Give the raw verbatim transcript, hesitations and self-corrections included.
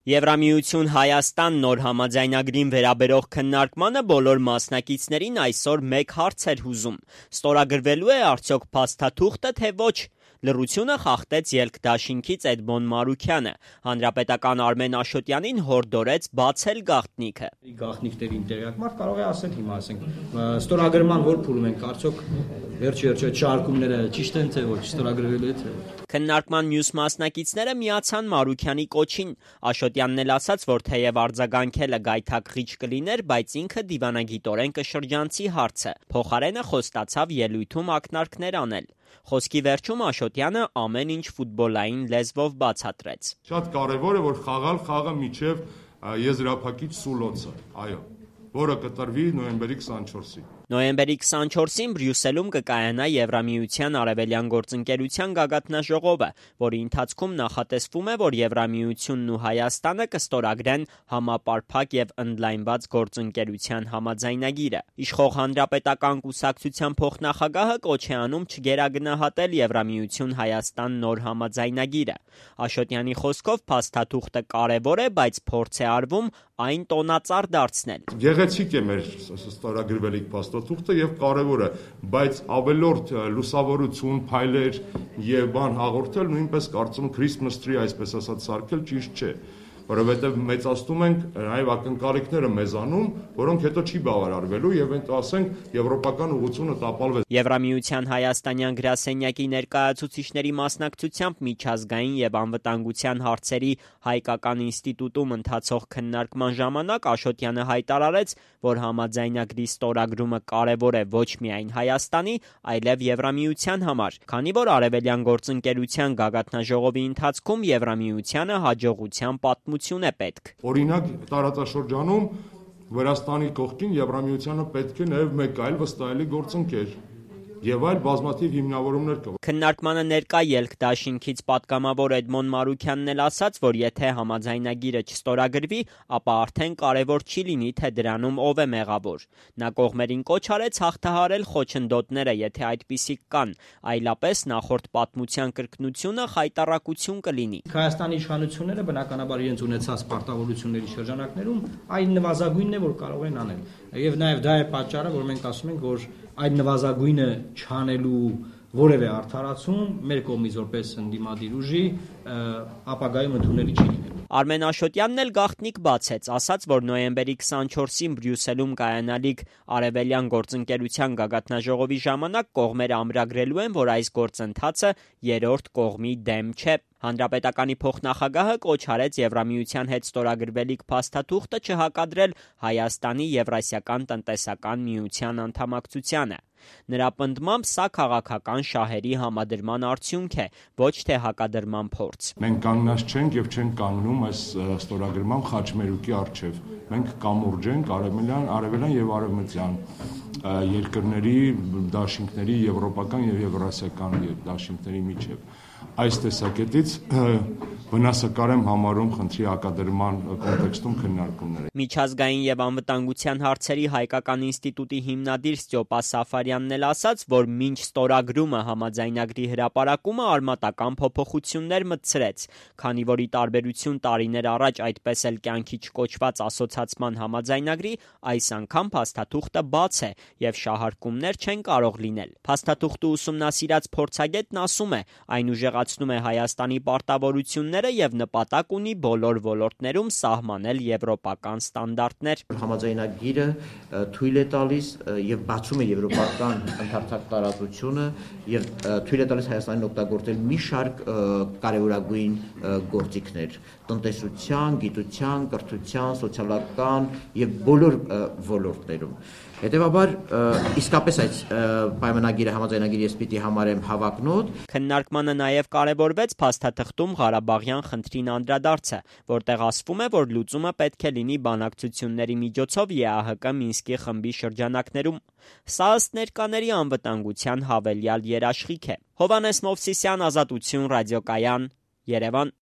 Եվրամիություն Հայաստան նոր համաձայնագրին վերաբերող քննարկմանը բոլոր մասնակիցներին այսօր մեկ հարց էր հուզում. ստորագրվելու է արդյոք փաստաթուղթը, թե ոչ։ Լռությունը խախտեց ելքդաշինքից Էդմոն Մարուքյանը։ Հանրապետական Արմեն Աշոտյանին հորդորեց բացել գաղտնիքը։ Գաղտնիքներին տեղյակ մարդ կարող է ասել հիմա, ասենք, ստորագրման որ փուլում ենք, արդյոք վերջ-վերջը չարկումները ճիշտ են թե ոչ, ստորագրվելու է թե ոչ։ Քննարկման մյուս մասնակիցները միացան Մարուքյանի կոչին։ Աշոտյանն էլ ասաց, որ թեև արձագանքելը գայթակղիչ կլիներ, բայց ինքը դիվանագիտորեն կշրջանցի հարցը։ Փոխարենը խոստացավ ելույթում ակնարկներ անել։ Խոսքի վերջում Աշոտյանը ամեն ինչ ֆուտբոլային լեզվով բացատրեց։ Շատ կարևոր է, որ խաղալ խաղը միջև եզրափակիչ սուլոցը, այո, որը կտրվի նոյեմբերի քսանչորսին։ Նոյեմբերի քսանչորսին Բրյուսելում կկայանա Եվրամիության արևելյան գործընկերության գագաթնաժողովը, որի ընթացքում նախատեսվում է, որ Եվրամիությունն ու Հայաստանը կստորագրեն համապարփակ եւ ընդլայնված գործընկերության համաձայնագիրը։ Իշխող հանրապետական կուսակցության փոխնախագահը կոչ է անում չգերագնահատել Եվրամիություն Հայաստան նոր համաձայնագիրը։ Աշոտյանի խոսքով փաստաթուղթը կարևոր է, բայց փորձ է արվում այն տոնածառ դարձնել։ Գեղեցիկ է մեր ստորագրվելիք փաստաթուղթը եւ կարևոր է, բայց ավելորդ լուսավորություն, փայլեր եւ բան հաղորդել նույնպես կարծում Christmas tree, այսպես ասած, սարքել ճիշտ չէ, որովհետեւ մեծացնում ենք նաեւ ակնկալիքները մեզանում, որոնք հետո չի բավարարվելու եւ ընդ ասենք եվրոպական ուղղությունը տապալվեց։ Եվրամիության հայաստանյան գրասենյակի ներկայացուցիչների մասնակցությամբ միջազգային եւ անվտանգության հարցերի հայկական ինստիտուտում ընթացող քննարկման ժամանակ Աշոտյանը հայտարարեց, որ համաձայնագրի ստորագրումը կարևոր է ոչ միայն Հայաստանի, այլև Եվրամիության համար, քանի որ արևելյան գործընկերության գագաթնաժողովի ընթացքում Եվրամիությանը հաջողության պատմություն է պետք։ Օրինակ տարածաշրջանում Վրաստանի կողքին Եվրամիությանը պետք է նաև մեկ այլ վստահելի գործընկեր եւ այլ բազմաթիվ հիմնավորումներ կա։ Քննարկմանը ներկա ելքդաշինքից պատգամավոր Էդմոն Մարուքյանն էլ ասաց, որ եթե համաձայնագիրը չստորագրվի, ապա արդեն կարևոր չի լինի, թե դրանում ով է մեղավոր։ Նա կողմերին կոչ արեց հաղթահարել խոչընդոտները, եթե այդպիսիք կան, այլապես նախորդ պատմության կրկնությունը խայտառակություն կլինի։ Հայաստանի իշխանությունները բնականաբար իրենց ունեցած պարտավորությունների շրջանակներում այն նվազագույնն է, որ կարող են անել։ Եվ նաև դա է պատճառը, որ մենք ասում ենք, որ այդ նվազագույնը չանելու որևէ արդարացում մեր կողմից որպես ընդդիմադիր ուժի ապագայում ընդունելի չի լինելու։ Արմեն Աշոտյանն էլ գաղտնիք բացեց, ասաց, որ նոյեմբերի քսանչորսին Բրյուսելում կայանալիք արևելյան գործընկերության գագաթնաժողովի ժամանակ կողմերը ամրագրելու են, որ այս գործընթացը երրորդ կողմի դեմ չէ։ Հանրապետականի փոխնախագահը կոչ արեց Եվրամիության հետ ստորագրվելիք փաստաթուղթը չհակադրել Հայաստանի Եվրասիական տնտեսական միության անդամակցությանը։ Նրա պնդմամբ սա քաղաքական շահերի համադրման արդյունք է, ոչ թե հակադրման փորձ։ Մենք կանգնած չենք եւ չենք կանգնում այս ստորագրման խաչմերուկի առջեւ։ Մենք կամուրջ ենք արևելյան, արևելյան եւ արևմտյան երկրների դաշինքների, եվրոպական եւ եվրասիական դաշինքների միջեւ։ Այս տեսակետից վնասակար եմ համարում խնդրի հակադրման կոնտեքստում քննարկումները։ Միջազգային եւ անվտանգության հարցերի հայկական ինստիտուտի հիմնադիր Ստյոպա Սաֆարյանն էլ ասաց, որ մինչ ստորագրումը համաձայնագրի հրապարակումը արմատական փոփոխություններ մտցրեց, քանի որ ի տարբերություն տարիներ առաջ այդպես էլ կյանքի չկոչված ասոցացման համաձայնագրի, այս անգամ փաստաթուղթը բաց է եւ շահարկումներ չեն կարող լինել։ Փաստաթուղթը ուսումնասիրած փորձագետն ասում է, այն ուժեղացնում է Հայաստանի պարտավորությունները եւ նպատակ ունի բոլոր ոլորտներում սահմանել եվրոպական ստանդարտներ։ Համաձայնագիրը թույլ է տալիս եւ բացում է եվրոպական ընդհանրակ տարածությունը եւ թույլ է տալիս Հայաստանին օգտագործել մի շարք կարևորագույն գործիքներ տնտեսության, գիտության, կրթության, սոցիալական եւ բոլոր ոլորտներում։ Հետևաբար իսկապես այդ պայմանագիրը համաձայնագիրը ես պիտի համարեմ հավակնոտ։ Քննարկմանը նաև կարևորվեց փաստաթղթում Ղարաբաղյան խնդրին անդրադարձը, որտեղ ասվում է, որ լուծումը պետք է լինի բանակցությունների միջոցով ԵԱՀԿ Մինսկի խմբի շրջանակներում։ Սա ըստ ներկաների անվտանգության հավելյալ երաշխիք է։ Հովհաննես Մովսիսյան, Ազատություն, Ռադիոկայան, Երևան։